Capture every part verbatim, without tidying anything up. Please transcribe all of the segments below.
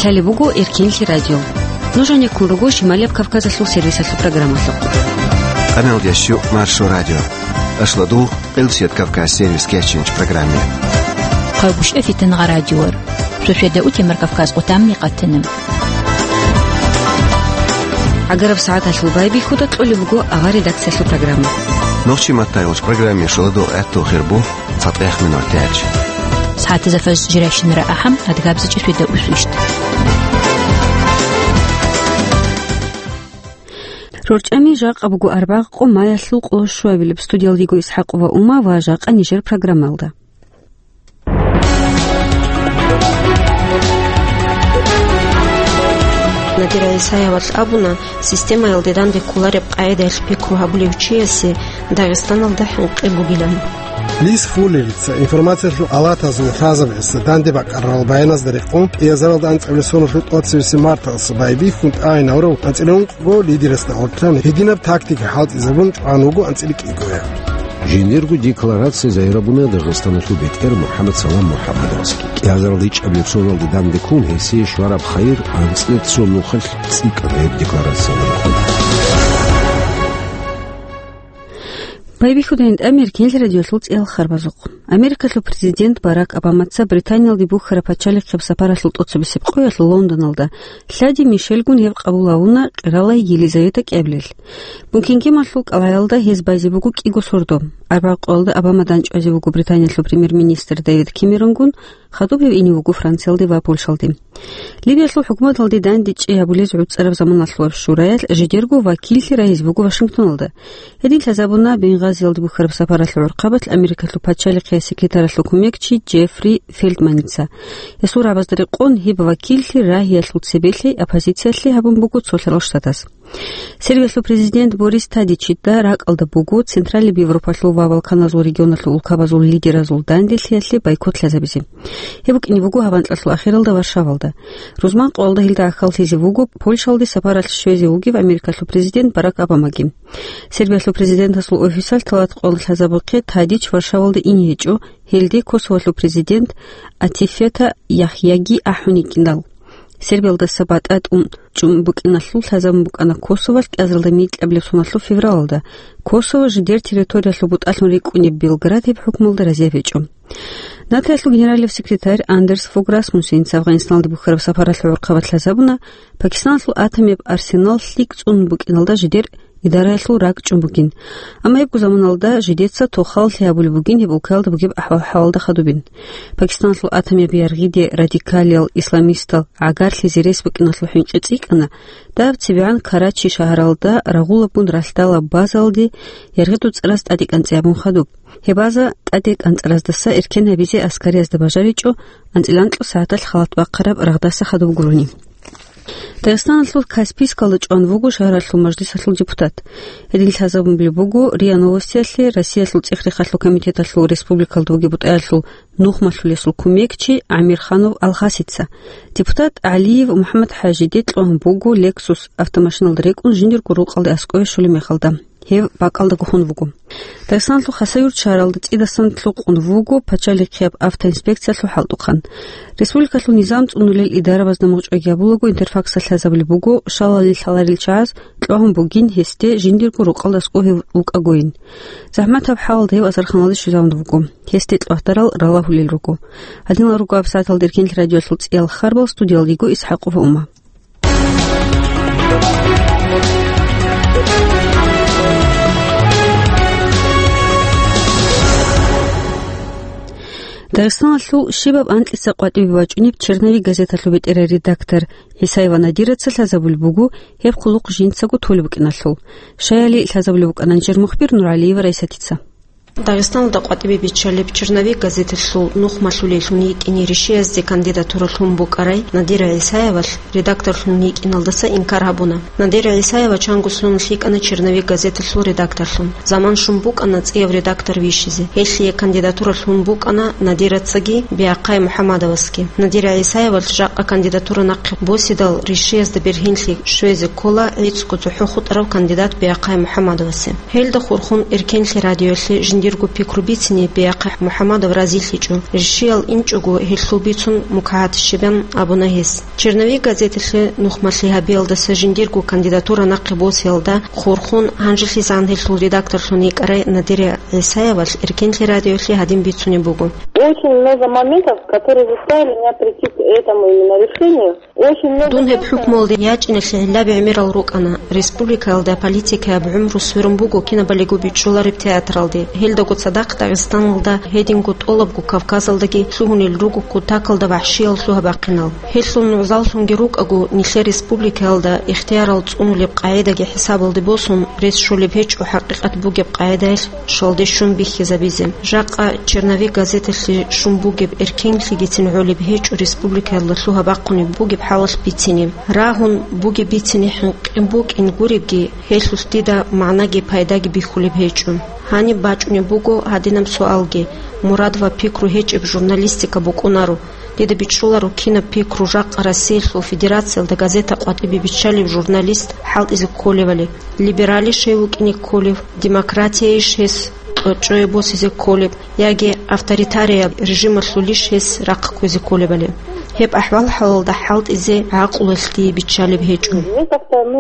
Лъалеб буго Эркенлъи радио. Нуж гьанеккун руго Шималияб Кавказалъул сервисалъул программалъухъ. Къаналдияс щу Маршо радио. Ашлодул, Къилсият Кавказ сервис кечинч программе. Хъагушев Фитангъа радиор. Суседа утемар Кавказ къутамни къатана. Агараб сагӀаталъул байбихьуда кьолеб буго агъа редакциялъул программа. Нохчи маттайолч программе шуладул гӀаттул хирбу. ЦатӀех минут тяч. СагӀатазда фаз жирайщинара ахӀам, адгабзичӀи светда усвищт. РорчӀами жакъа буго арбагъ къо маялъул къоло щуабилеб. Студиялдиго ИсхӀакъова Ума ва жакъа нижер программалда. Надир ГӀисаевалъ абуна, системаялде данде кколареб къагӀидаялъ пикру гьабулев чиясе Дагъистаналда хӀинкъи бугилан. Лис Фуллерица информациялъул алатазул лъазабаздаса данде бакӀарарал баяназда рекъон, кӀиазаралда анцӀабилеб соналъул тӀоцебесеб марталъ байбихьун тӀагӀинаврав анцӀила ункъго лидерасда гӀуртӀан гьединаб тактика хӀалтӀизабун чӀван вуго анцӀила кӀиго. Жиндирго декларация загьирабуна Дагъистаналъул бетӀер МухӀаммад Салам МухӀаммадовасги. КӀиазаралда ичӀабилеб соналде данде ккун гьесие щвараб хайир анцӀила цо нухалъ цӀикӀкӀараб декларациялда рахъуна. Байбихьудайин тӀамир Эркенлъи радиолъул цӀиял харбазухъ. Америкалъул президент Барак Обамаца Британиялде бухьараб пачалихъияб сапаралъул тӀоцебесеб къоялъ Лондоналда лъади-мишелгун гьеб къабул гьавуна къиралай Елизавета кӀиабилелъ. Букингемалъул кӀалгӀаялда гьез байзе буго кӀиго сордо. Арбагъ къоялда Обама данчӀвазе вуго Британиялъул премьер-министр Дэвид Кэмеронгун, хадуб гьев ине вуго Франциялде ва Польшалде. Ливиялъул хӀукуматалде дандечӀей гьабулез гӀуцӀараб заманалъулаб шураялъ жидерго вакиллъи рагьизе буго Вашингтоналда. Гьедин лъазабуна Бенгазиялде бухьараб сапаралъул гӀурхъабалъ Америкалъул пачалихъияс секретаралъул кумекчи Джеффри Фелтманица. Гьесул рагӀабазда рекъон гьеб вакиллъи рагьиялъул цебе лъей оппозициялъе гьабун буго Цолъарал Штатас. Сербиялъул президент Борис Тадичида ракӀалда буго Централияб Европалъул ва Балканазул регионалъул улкабазул лидеразул данделъиялъе бойкот лъазабизе. Гьеб букӀине буго гьаб анкьалъул ахиралда Варшавалда. Рузман къоялда гьелда гӀахьаллъизе вуго Польшалде сапаралъ щвезе вугев Америкалъул президент Барак Обамаги. Сербиялъул президентасул офисалъ талат къоялда лъазабухъе Тадич Варшавалда ине гьечӀо, гьелде Косоволъул президент Атифета Яхъяги ахӀун йикӀинал. Сербиялдаса батӀа тӀун чӀун букӀиналъул лъазабун букӀана Косоволъ кӀиазаралда микьабилеб соналъул февралалда. Косово жидер территориялъул бутӀалъун рикӀкӀунеб Белград гьеб хӀукмуялда разияб гьечӀо. НАТОялъул генералияб секретарь Андерс Фог Расмуссеница Афганистаналде бухьараб сапаралъул гӀурхъабалъ лъазабуна, Пакистаналъул атомияб арсенал лъикӀ цӀун букӀиналда жидер идараялъул ракӀ чӀун бугин. Амма гьебго заманалда жидеца тохаллъи гьабулеб бугин гьеб улкаялда бугеб ахӀвал-хӀалалда хадубин. Пакистаналъул атомияб яргъиде радикалиял исламистал гӀагарлъизе рес букӀиналъул хӀинкъи цӀикӀкӀана, даб цебегӀан Карачи шагьаралда рагъулабгун ралъдала базалде яргъидул цӀараз тӀаде кӀанцӀи абун хадуб. Гьеб база тӀаде кӀанцӀараздаса эркен гьабизе аскариязда бажаричӀо анцӀила анкьго сагӀаталъ халат бахъараб рагъдаса хадуб гурони. Дагъистаналъул Каспийскалда чӀван вуго шагьаралъул мажлисалъул депутат. Гьедин лъазабун буго РИА Новостиялъе Россиялъул ЦӀехрехалъул комитеталъул республикалда бугеб бутӀаялъул нухмалъулесул кумекчи ГӀамирханов Алхасица. Депутат ГӀалиев МухӀаммад-ХӀажиде кьван буго Lexus автомашиналда рекӀун жиндирго рукъалде аскӀове щолеб мехалда. Гьев бакӀалда гохун вуго. Дагъистаналъул Хасавюрт шагьаралда цӀидасан лъукъун вуго пачалихъияб автоинспекциялъул хӀалтӀухъан. Республикалъул низам цӀунулел идарабазда мугъчӀвай гьабулаго Интерфаксалъ лъазабулеб буго, шалали лъаларел чагӀаз кьвагьун бугин гьесде жиндирго рукъалда аскӀов гьев вукӀагойин. ЗахӀматаб хӀалалда гьев азарханалде щвезавун вуго. Гьесде кьвагьдарал ралагьулел руго. Гьадинал руго гьаб сагӀаталда Эркенлъи радиоялъул цӀиял харбал, студиялдиго ИсхӀакъова Ума. Дагъистаналъул щибаб анкьица къватӀибе бачӀунеб «Черновик» газеталъул бетӀерай редактор ГӀисаева Надираца лъазабулеб буго гьеб хъулухъ жинцаго толеб букӀиналъул. Щаяли лъазабулеб букӀана нижер мухбир НургӀалиева Райсатица. Дагъистаналда къватӀибе биччалеб «Черновик» газеталъул нухмалъулеллъун йитӀине ришиязде кандидатура лъун букӀарай Надира ГӀисаевалъ редакторлъун йитӀиналдаса инкар гьабуна. Надира ГӀисаева чанго соналъ йикӀана «Черновик» газеталъул редакторлъун. Заман щун букӀана цӀияв редактор вищизе. Гьелъие кандидатура лъун букӀана Надирацаги Биахъай МухӀаммадовасги. Надира ГӀисаевалъ жакъа кандидатура нахъе босидал, ришиязда бергьинлъи щвезе ккола гӀицӀго цохӀо хутӀарав кандидат Биахъай МухӀаммадовасе. Гьелда хурхун Эркенлъи радиоялъе Дирго пикру бицине бегьахъа МухӀаммадов разилъичӀо. Ришиял инчӀого гьелъул бицун мукагьат щибан абуна гьес. «Черновик» газеталъе нухмалъи гьабиялдаса жиндирго кандидатура нахъе босиялда хурхун, гьанжелъизегӀан гьелъул редакторлъун йикӀарай Надира ГӀисаевалъ Эркенлъи радиолъе гьадин бицунеб буго. Очень много моментов, которые заставили меня прийти к этому именно решению. Очень много... Дун гьеб хӀукмуялде ячӀиналъе гӀиллаби гӀемерал рукӀана. Республикаялда политикаяб гӀумру сверун буго кинабалиго бичӀчӀулареб театралде. Гьелдаго цадахъ Дагъистаналда, гьединго тӀолабго Кавказалдаги лъугьунел руго кутакалда вахӀшиял лъугьа-бахъинал. Гьелъул нугӀзаллъунги рукӀаго, нилъер республикаялда ихтиярал цӀунулеб къагӀидаги хӀисабалде босун, рес щолеб гьечӀо хӀакъикъат бугеб къагӀидаялъ щалде щун бихьизабизе. Жакъа «Черновик» газеталъе щун бугеб эркенлъигицин гӀолеб гьечӀо республикаялда лъугьа-бахъунеб бугеб хӀалалъ бицине. Рагьун бугеб бицине хӀинкъи букӀин гуребги, гьелъулъ дида магӀнаги пайдаги бихьулеб гьечӀо. Гьаниб бачӀунеб буго гьадинаб суалги: мурад ва пикру гьечӀеб журналистика букӀунаро. Дида бичӀчӀуларо кинаб пикру жакъа Россиялъул Федерациялда газета къватӀибе биччалев журналист хӀалтӀизе кколевали: либералищ гьев вукӀине кколев, демократияйищ гьес кьочӀое босизе кколеб, яги авторитарияб режималъулищ гьес рахъ кквезе кколебали. Гьеб ахӀвал-хӀалалда хӀалтӀизе гӀакълуялъ дие биччалеб гьечӀо. Мне как-то, ну,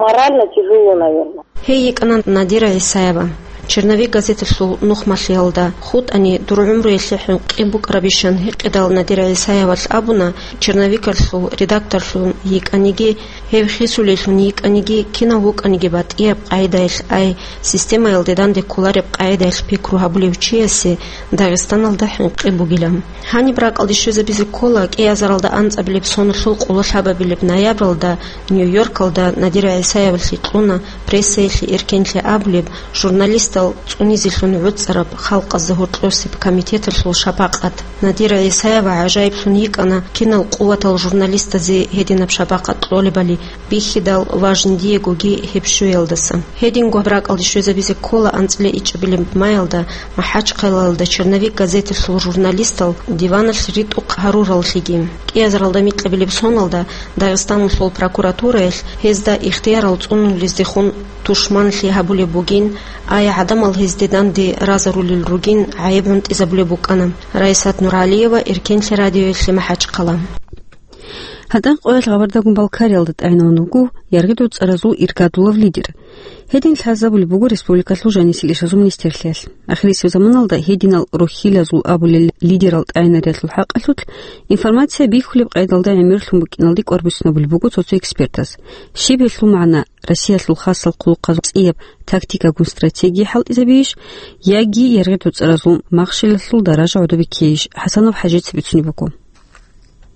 морально тяжело, наверное. Гьей йикӀана Надира ГӀисаева. «Черновик» газеталъул нухмалъиялда хутӀани, дур гӀумруялъе хӀинкъи букӀарабищан гьикъидал, Надира ГӀисаевалъ абуна, «Черновикалъул» редакторлъун йикӀаниги, гьев хисулеллъун йикӀаниги, кинав вукӀаниги батӀияб къагӀидаялъ, ай системаялде данде кколареб къагӀидаялъ пикру гьабулев чиясе Дагъистаналда хӀинкъи бугилан. Гьаниб ракӀалде щвезабизе ккола кӀиазаралда анцӀабилеб соналъул къоло лъабабилеб ноябралда Нью-Йоркалда Надира ГӀисаевалъе кьуна прессаялъе эркенлъи абулеб, журналистал цӀунизелъун гӀуцӀараб халкъазда гьоркьосеб комитеталъул шапакъат. Надира ГӀисаева гӀажаиблъун йикӀана кинал къуватал журналистазе гьединаб шапакъат кьолебали, бихьидал ва жиндиегоги гьеб щвеялдаса. Гьединго ракӀалде щвезабизе ккола анцӀила ичӀабилеб маялда МахӀачхъалаялда «Черновик» газеталъул журналистал диваналъ ритӀухъ гьарураллъиги. КӀиазаралда микьабилеб соналда Дагъистаналъул прокуратураялъ гьезда ихтиярал цӀунулездехун тушманлъи гьабулеб бугин, ай гӀадамал гьезде данде разарулел ругин гӀайиб гӀунтӀизабулеб букӀана. Раисат Нуралиева, Эркенлъи радиоялъе, МахӀачхъала. ГьатӀан къоялъ Гъабардагун Балкариялда тӀагӀинавун вуго яргъидул цӀаразул иргадулав лидер. Гьедин лъазабулеб буго республикалъул жанисел ишазул министрлъиялъ. Ахирисеб заманалда гьединал рухьилазул абулел лидерал тӀагӀинариялъул хӀакъалъулъ информация бихьулеб къайдалда гӀемерлъун букӀиналде кӀвар буссинабулеб буго цо-цо экспертас. Щиб гьелъул магӀна: Россиялъул хасал хъулухъазул цӀияб тактикагун стратегия хӀалтӀизабейищ, яги яргъидул цӀаразул махщелалъул даража гӀодобиккейищ? ХӀасанов ХӀажица бицунеб буго.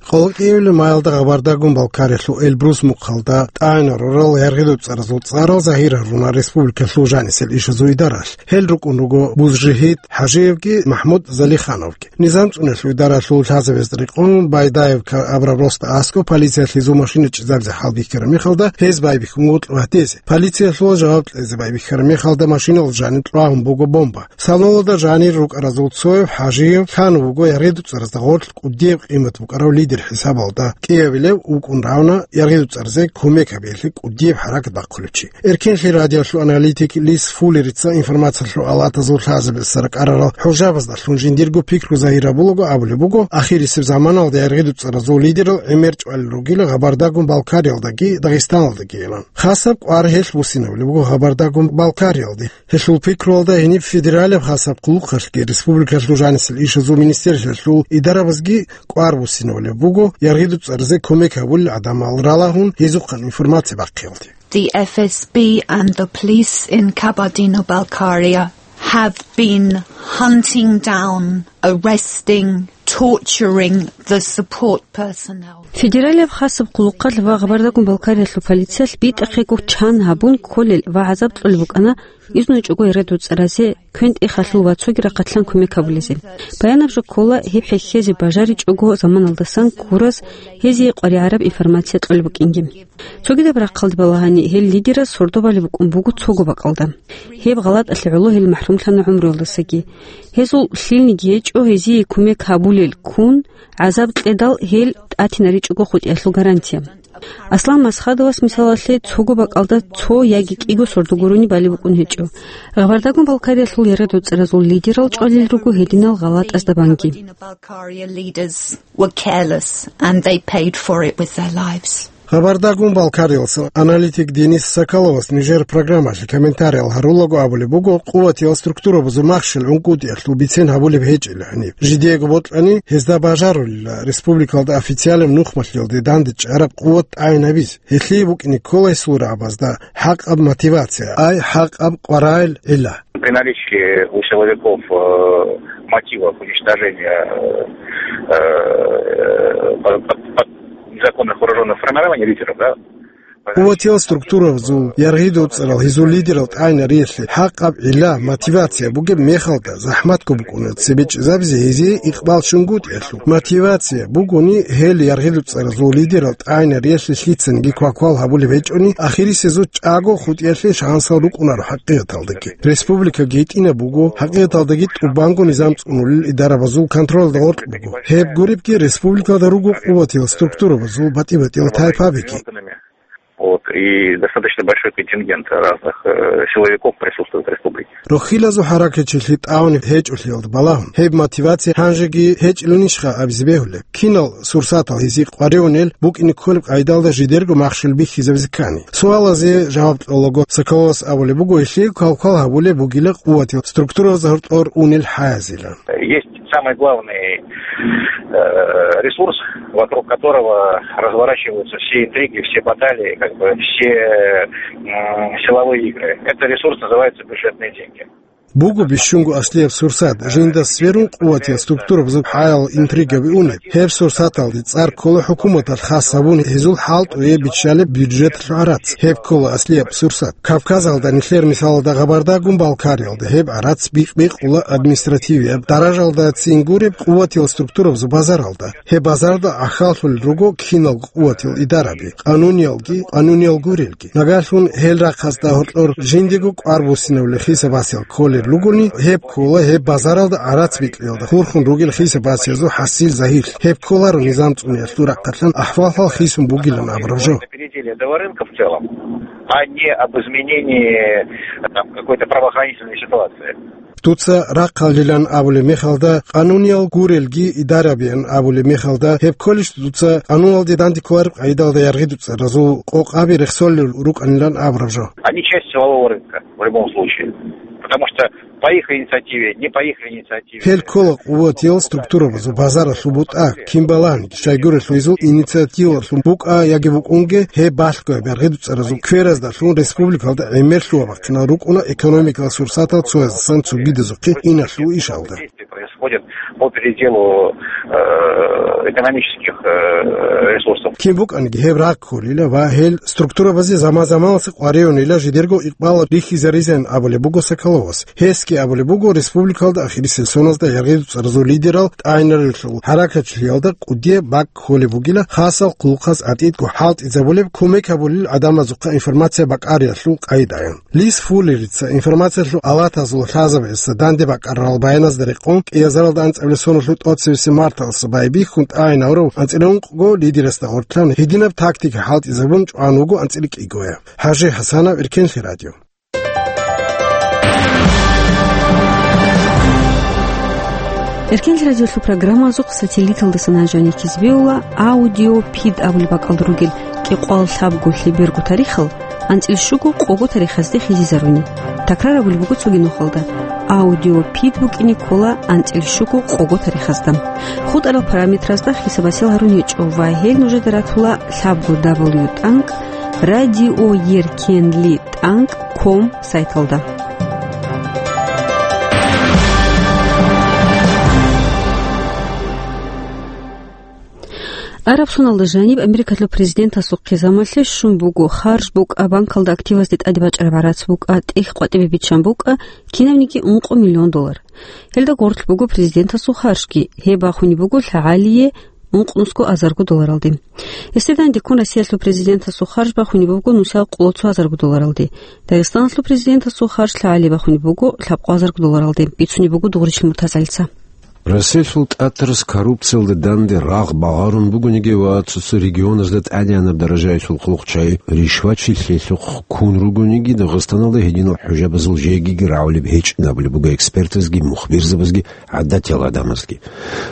Къоло кӀиабилеб маялда Гъабардагун Балкариялъул Эльбрус мухъалда тӀагӀинал рурал яргъидул цӀаразул цӀарал загьир гьаруна республикалъул жанисел ишазул идаралъ. Гьел рукӀун руго Бузжигьит ХӀажиевги МахӀмуд Залихановги. Низам цӀунулъул идаралъул лъазабазда рекъон Байдаевка абураб росда аскӀоб полициялъе гьезул машина чӀезабизе хӀалбихьараб мехалда, гьез байбихьун вуго кьватезе. Полициялъул жаваб кьезе байбихьараб мехалда машиналда жаниб кьвагьун буго бомба. Салоналда жанир рукӀаразул цояв ХӀажиев лъан вуго яргъидул цӀаразда гъорлъ кӀудияб къимат букӀарав лидер хӀисабалда. КӀиабилев вукӀун равна яргъидул цӀаразе кумек гьабиялъе кӀудияб хӀаракат бахъулев чи. Эркенлъи радиолъул аналитик Лис Фуллерица информациялъул алатазул лъазабазда ракӀарарал хӀужабаздалъун жиндирго пикру загьир гьабулаго абулеб буго, ахирисеб заманалда яргъидул цӀаразул лидерал гӀемер чӀвалел ругила Гъабардагун Балкариялдаги Дагъистаналдаги илан. Хасаб кӀвар гьелъ буссинабулеб буго Гъабардагун Балкариялде. Гьелъул пикруялда гьениб федералияб хасаб хъулухъалъги республикалъул жанисел ишазул министрлъиялъул идарабазги кӀвар буссинабулеб буго яргъидул цӀаразе кумек гьабулел гӀадамал ралагьун гьезухъан информация бахъиялде. The F S B and the police in Kabardino-Balkaria have been hunting down, arresting, torturing the support personnel. Федералияб хасаб хъулухъалъ ва Гъабардагун Балкариялъул полициялъ битӀахъего чан гьабун кколел ва гӀазаб кьолеб букӀана, изну чӀого яргъидул цӀаразе квен-тӀехалъул ва цоги рахъалъан кумек гьабулезе. Баянаб жо ккола, гьеб хӀехьезе бажаричӀого заманалдасан ккурас гьезие къваригӀараб информация кьолеб букӀинги. Цогидаб рахъалде балагьани, гьел лидераз сордо балеб букӀун буго цого бакӀалда. Гьеб гъалатӀалъе гӀоло гьел махӀрумлъана гӀумруялдасаги. Гьезул лъилниги гьечӀо гьезие кумек гьабулел ккун, гӀазаб кьедал гьел тӀатинаричӀого хутӀиялъул гарантия. Аслан Масхадовас, мисалалъе, цого бакӀалда цо яги кӀиго сордо гурони балеб букӀун гьечӀо. Гъабардагун Балкариялъул яргъи-дуцӀаразул лидерал чӀвалел руго гьединал гъалатӀазда банги. Balkaria leaders were careless and they paid for it with their lives. Гъабардагун Балкариялъул аналитик Денис Соколовас нижер программалъе комментариял гьарулаго абулеб буго, къуватиял структурабазул махщел гӀунгутӀиялъул бицен гьабулеб гьечӀила гьаниб. Жидеего бокьани, гьезда бажарулила республикалда официалаб нухмалъиялде данде чӀараб къуват тӀагӀинабизе. Гьелъие букӀине ккола гьесул рагӀабазда хӀакъаб мотивация, ай хӀакъаб къваригӀел гӀилла. При наличии у силовиков, э, мотива к уничтожению, э, э, под, под, под незаконных вооружённых формирований, лидеров, да, Къуватиял структуразул яргъи-дуцӀарал гьезул лидерал тӀагӀинариялъе хӀакъаб гӀилла, мотивация бугеб мехалда, захӀматго букӀуна цебе чӀезабизе гьезие икъбал чӀунгутӀиялъул. Мотивация бугони гьел яргъи-дуцӀаразул лидерал тӀагӀинариялъе лъицаниги кваквал гьабулеб гьечӀони, ахирисезул чӀаго хутӀиялъе шансал рукӀунаро хӀакъикъаталдаги. Республикаги гьитӀинаб буго, хӀакъикъаталдаги тӀубанго низам цӀунулел идарабазул контролалда гъоркь буго. Гьеб гуребги республикалда руго къуватиял структурабазул батӀи-батӀиял тайпабиги. Вот, и достаточно большой контингент разных, э, силовиков присутствует в республике. Рохьилазул хӀаракатчилъи тӀагӀунеб гьечӀолъиялда балагьун, гьеб мотивация гьанжеги гьечӀиланищха абизе бегьулеб? Кинал сурсатал гьезие къваригӀунел букӀине кколеб къайдалда жидерго махщел бихьизабизе ккани? Суалазе жаваб кьолаго, Соколовас абулеб буго, гьелъие квалквал гьабулеб бугила къуватиял структуразда гьоркьор унел хӀаязила. Есть самый главный, э, ресурс, вокруг которого разворачиваются все интриги, все баталии, как бы все, м, силовые игры. Этот ресурс называется бюджетные деньги. Буго бищунго аслияб сурсат, жинда сверун къуватиял структурабазул хӀаял интригаби унеб. Гьеб сурсаталде цӀар ккола хӀукуматалъ хас гьабун гьезул хӀалтӀуе биччалеб бюджеталъул гӀарац. Гьеб ккола аслияб сурсат. Кавказалда, нилъер мисалалда, Гъабардагун Балкариялда гьеб гӀарац бикъ-бикъула административияб даражалда цин гуреб къуватиял структурабазул базаралда. Гьеб базарда гӀахьаллъулел руго киналго къуватиял идараби, къануниялги, къануниял гурелги. Нагагьлъун гьел рахъазда гьоркьор жиндего кӀвар буссинабулел хисабасел кколел ругони, гьеб ккола гьеб базаралда гӀарац бикьиялда хурхун ругел хисабасиязул хӀасил загьирлъи. Гьеб кколаро низам цӀуниялъул рахъалъан ахӀвал-хӀал хисун бугилан абураб жо. Переделие до рынка в целом, а не об изменении, там, какой-то правоохранительной ситуации. Дуца рахъалилан абулеб мехалда, къануниял гурелги идарабиян абулеб мехалда, гьеб кколищ дуца къануналде данде кколареб къайдалда яргъи-дуцӀаразул къокъаби рехсолел рукӀанилан абураб жо? Они часть силового рынка в любом случае. Потому что по их инициативе, не по их инициативе. Гьел ккола къуватиял структурабазул базаралъул бутӀа, кин балагьанги, щайгурелъул гьезул инициативалъун букӀа яги букӀунге, гьеб балъгояб яргъи-дуцӀаразул квераздалъун республикалда гӀемерлъугьа бахъинал рукӀуна экономикалъул сурсатал цояздасан цогидазухъе иналъул ишалда. Действия происходят по переделу, э, экономических, э, ресурсов. Кин букӀанги гьеб рагъ кколила ва гьел структурабазе заман-заманалъ къваригӀунила жидерго икъбал рихьизаризан абулеб буго Соколовас. Гьесги абулеб буго, республикалда ахирисел соназда яргъи-дуцӀаразул лидерал тӀагӀинарелъул хӀаракатчилъиялда кӀудияб бакӀ кколеб бугила, хасал хъулухъаз гӀатӀидго хӀалтӀизабулеб, кумек гьабулел гӀадамазухъа информация бакӀариялъул къайдаян. Лис Фуллерица информациялъул алатазул лъазабаздаса данде бакӀарарал баяназда рекъон, кӀиазаралда анцӀабилеб соналъул тӀоцебесеб марталдаса байбихьун тӀагӀинаврав анцӀила ункъго лидерасда гъоркьлъан гьединаб тактика хӀалтӀизабун чӀван вуго анцӀила кӀигоя. ХӀажи ХӀасанов, Эркенлъи радио. Эркенлъи радиолъул программазухъ сателлиталдасан гьанже гьаниб кизбеула аудиопид абулеб бакӀалда ругел кӀикъоялда лъабго лъеберго тарихал анцӀила щуго къого тарихазде хизизаруни. Такрар абулеб буго цоги нухалда: аудиопид букӀине ккола анцӀила щуго къого тарихазда. ХутӀарал параметразда хисабасел гьарун гьечӀо ва гьел нужеда ратула лъабго дабл ю тӀанкӀ радиоеркенли тӀанкӀ ком сайталда. Араб соналда жаниб Америкалъул президентасухъе замалъе щун буго, харж букӀа, банкалда активазде тӀаде бачӀараб гӀарац букӀа, тӀехь къватӀибе биччан букӀа, кинабниги ункъо миллион доллар. Гьелда гъорлъ буго президентасул харжги, гьеб бахунеб буго лъагӀалие ункънусго азарго долларалде. Гьесде дандеккун Россиялъул президентасул харж бахунеб буго нусал къоло цо азарго долларалде. Дагъистаналъул президентасул харж лъагӀалие бахунеб буго лъабкъо азарго долларалде, бицунеб буго Дугъричил Муртазалица. Россиялъул ТӀатарас коррупциялда данде рагъ багъарун бугониги ва цо-цо регионазда тӀадегӀанаб даражаялъул хъулухъчагӀи ришвачилъиялъухъ ккун ругониги, Дагъистаналда гьединал хӀужабазул жегиги рагӀулеб гьечӀин абулеб буго экспертазги, мухбирзабазги, гӀадатиял гӀадамазги.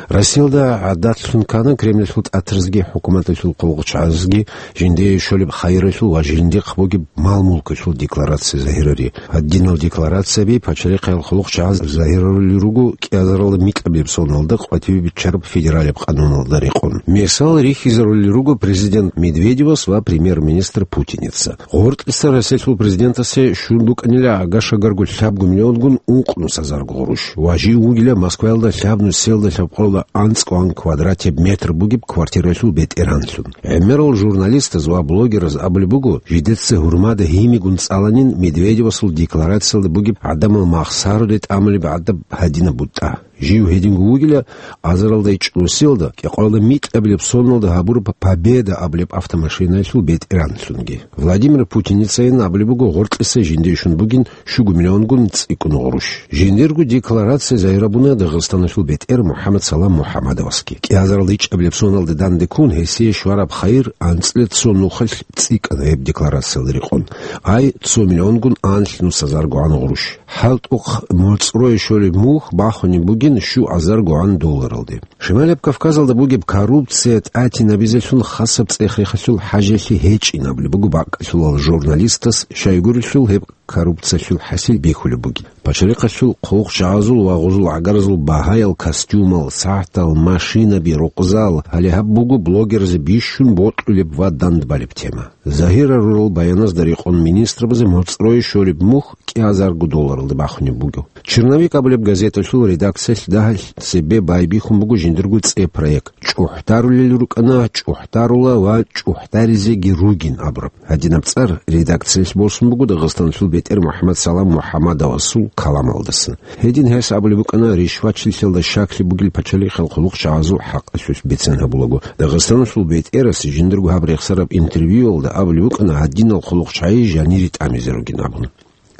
Россиялда гӀадатлъун ккана Кремльалъул тӀатарзги хӀукуматалъул хъулухъчагӀазги жиндие щолеб хайиралъул ва жиндихъ бугеб мал-мулкалъул декларация загьирари. Гьадинал декларацияби пачалихъаял хъулухъчагӀаз загьирарулел руго кӀиазаралда микьабилеб соналда къватӀибе биччараб федералияб къануналда рекъон. Мисал рихьизарулел руго президент Медведевас ва премьер-министр Путинеца. Гъоркьиса Россиялъул президентасе щун букӀанила гьагашагарго лъабго миллионгун ункънус гьазарго гъурущ ва жив вугила Москваялда лъабнус селда лъабкъоялда анцӀгоан квадратеб метр бугеб квартиралъул бетӀергьанлъун. ГӀемерал журналистаз ва блогераз абулеб буго, жидеца гьурмада гьимигун цӀаланин Медведевасул декларациялда бугеб гӀадамал махсаруде тӀамулеб гӀадаб гьадинаб бутӀа. Жив гьединго вугила азаралда ичӀнусиялда, кӀикъоялда микьабилеб соналда гьабураб Победа абулеб автомашинаялъул бетӀергьанлъунги. Владимир Путинецайин абулеб буго гъоркьиса жиндие щун бугин щуго миллионгун цӀикӀкӀун гъурущ. Жиндирго декларация загьирабуна Дагъистаналъул бетӀер МухӀаммад Салам МухӀаммадовасги. КӀиазаралда ичӀабилеб соналда данде ккун гьесие щвараб хайир анцӀила цо нухалъ цӀикӀкӀана гьеб декларациялда рекъон. Ай, цо миллионгун анлънус гьазаргогӀан гъурущ. ХӀалтӀухъ моцӀрое щолеб мухь бахунеб бугин щугӀазаргогӀан долларалде. Шималияб Кавказалда бугеб коррупция тӀатинабизелъун хасаб цӀех-рехалъул хӀажалъи гьечӀин абулеб буго бакӀалъулал журналистас, щайгурелъул гьеб коррупциялъул хӀасил бихьулеб бугеб. Пачалихъалъул хъулухъчагӀазул ва гъузул гӀагаразул багьаял костюмал, сагӀатал, машинаби, рукъзал, гьале гьаб буго блогераз бищун бокьулеб ва дандбалеб тема. Загьирарурал баяназда рекъон министрабазе моцӀрое щолеб мухь кӀиазарго долларалда бахунеб буго. «Черновик» абулеб газеталъул редакциялъ дагьалъ цебе байбихьун буго жиндирго цӀе проект. «ЧӀухӀдарулел рукӀана, чӀухӀдарула ва чӀухӀдаризеги ругин» абураб. Гьадинаб цӀар редакциялъ босун буго Дагъистаналъул бетӀер МухӀаммад Салам МухӀаммадовасул каламалдаса. Гьедин гьес абулеб букӀана, ришвачилъиялда щаклъи бугел пачалихъал хъулухъчагӀазул хӀакъалъулъ бицен гьабулаго. Дагъистаналъул бетӀерас жиндирго гьаб рехсараб интервьюялда абулеб букӀана гьадинал хъулухъчагӀи жанире тӀамизе ругин абун.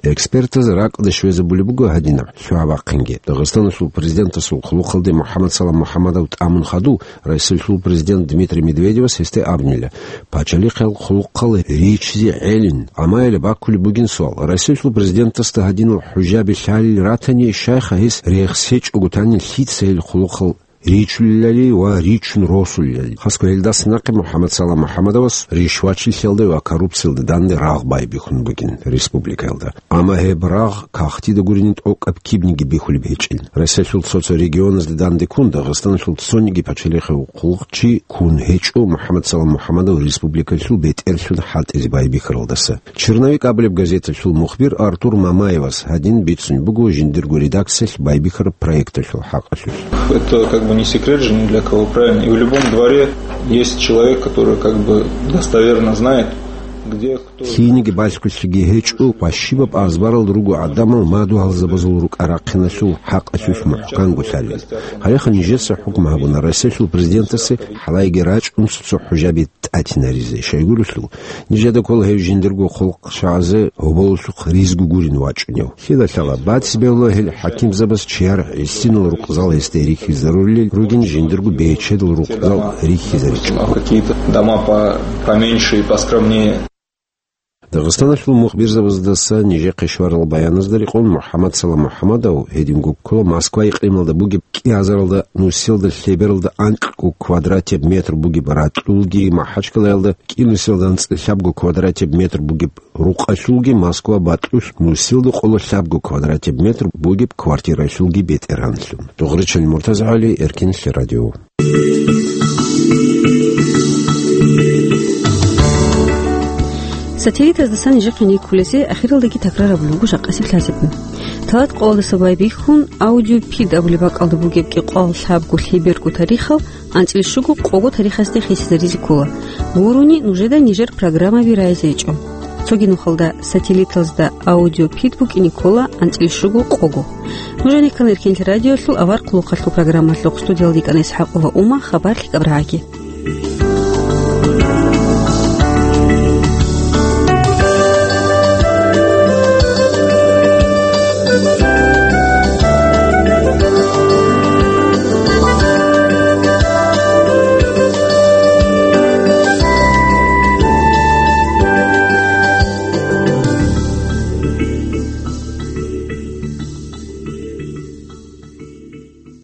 Экспертаз ракӀалде щвезабулеб буго гьадинаб лъугьа-бахъинги. Дагъистаналъул президентасул хъулухъалде МухӀаммад Салам МухӀаммадов тӀамун хадув, Россиялъул президент Дмитрий Медведевас гьесде абунила, пачалихъал хъулухъал ричизе гӀелин, амма гьеле баккулеб бугин суал: Россиялъул президентасда гьадинал хӀужаби лъалел ратани, щайха гьес рехсечӀого танин лъица гьел хъулухъал ричулелали ва ричун росулелали. Хасго гьелдаса нахъе МухӀаммад Салам МухӀаммадовас ришвачилъиялда ва коррупциялда данде рагъ байбихьун бугин республикаялда. Амма гьеб рагъ кагътида гурони тӀокӀаб кибниги бихьулеб гьечӀин. Россиялъул цо-цо регионазда данде ккун Дагъистаналъул цониги пачалихъав хъулухъчи ккун гьечӀо МухӀаммад Салам МухӀаммадов республикалъул бетӀерлъун хӀалтӀизе байбихьаралдаса. «Черновик» абулеб газеталъул мухбир Артур Мамаевас гьадин бицун буго жиндирго редакциялъ байбихьараб проекталъул хӀакъалъулъ. Это как бы не секрет же ни для кого, правильно? И в любом дворе есть человек, который как бы достоверно знает, где кто. Лъиениги балъголъиги гьечӀо, къващибаб азбарал руго гӀадамал мадугьалзабазул рукӀа-рахъиналъул хӀакъалъулъ мухӀканго лъалел. Гьалеха нижеца хӀукму гьабуна Россиялъул президентасе хӀалайги рачӀун цо-цо хӀужаби тӀатинаризе. Щайгурелъул, нижеда ккола гьев жиндирго хъулухъчагӀазе гьоболлъухъ ризго гурин вачӀунев. Лъила лъала бацӀцӀи бегьула гьел хӀакимзабаз чияр гӀисинал рукъзал гьесде рихьизарулел ругин, жиндирго бечедал рукъзал рихьизаричӀого. Какие-то дома по-, поменьше и поскромнее. Дагъистаналъул мухбирзабаздаса нижехъе щварал баяназда рекъон МухӀаммад Салам МухӀаммадов гьединго ккола Москва икълималда бугеб кӀиазаралда нусиялда лъебералда анкьго квадратеб метр бугеб ракьулги, МахӀачкъалаялда кӀинусиялда анцӀила лъабго квадратеб метр бугеб рукъалъулги, Москва бакьулъ нусиялда къоло лъабго квадратеб метр бугеб квартиралъулги бетӀергьанлъун. Дугъричал МуртазагӀали, Эркинлъи радио. Сателлитаздасан нижехъе никкулесе ахиралдаги такрарабулеб буго жакъасеб лъазабиги. Талат къоялдаса байбихьун, аудиопид абулеб бакӀалда бугеб кӀикъоялда лъабго лъеберго тарихал анцӀила щуго къого тарихасде хисизаризе ккола. Гурони нужеда нижер программаби рагӀизе гьечӀо. Цоги нухалда сателлитазда аудиопид букӀине ккола анцӀила щуго къого. Нуж гьаниккан Эркинлъи радиолъул авар хъулухъалъул программалъухъ, студиялда йикӀана ИсхӀакъова Ума, хабар лъикӀаб рагӀаги.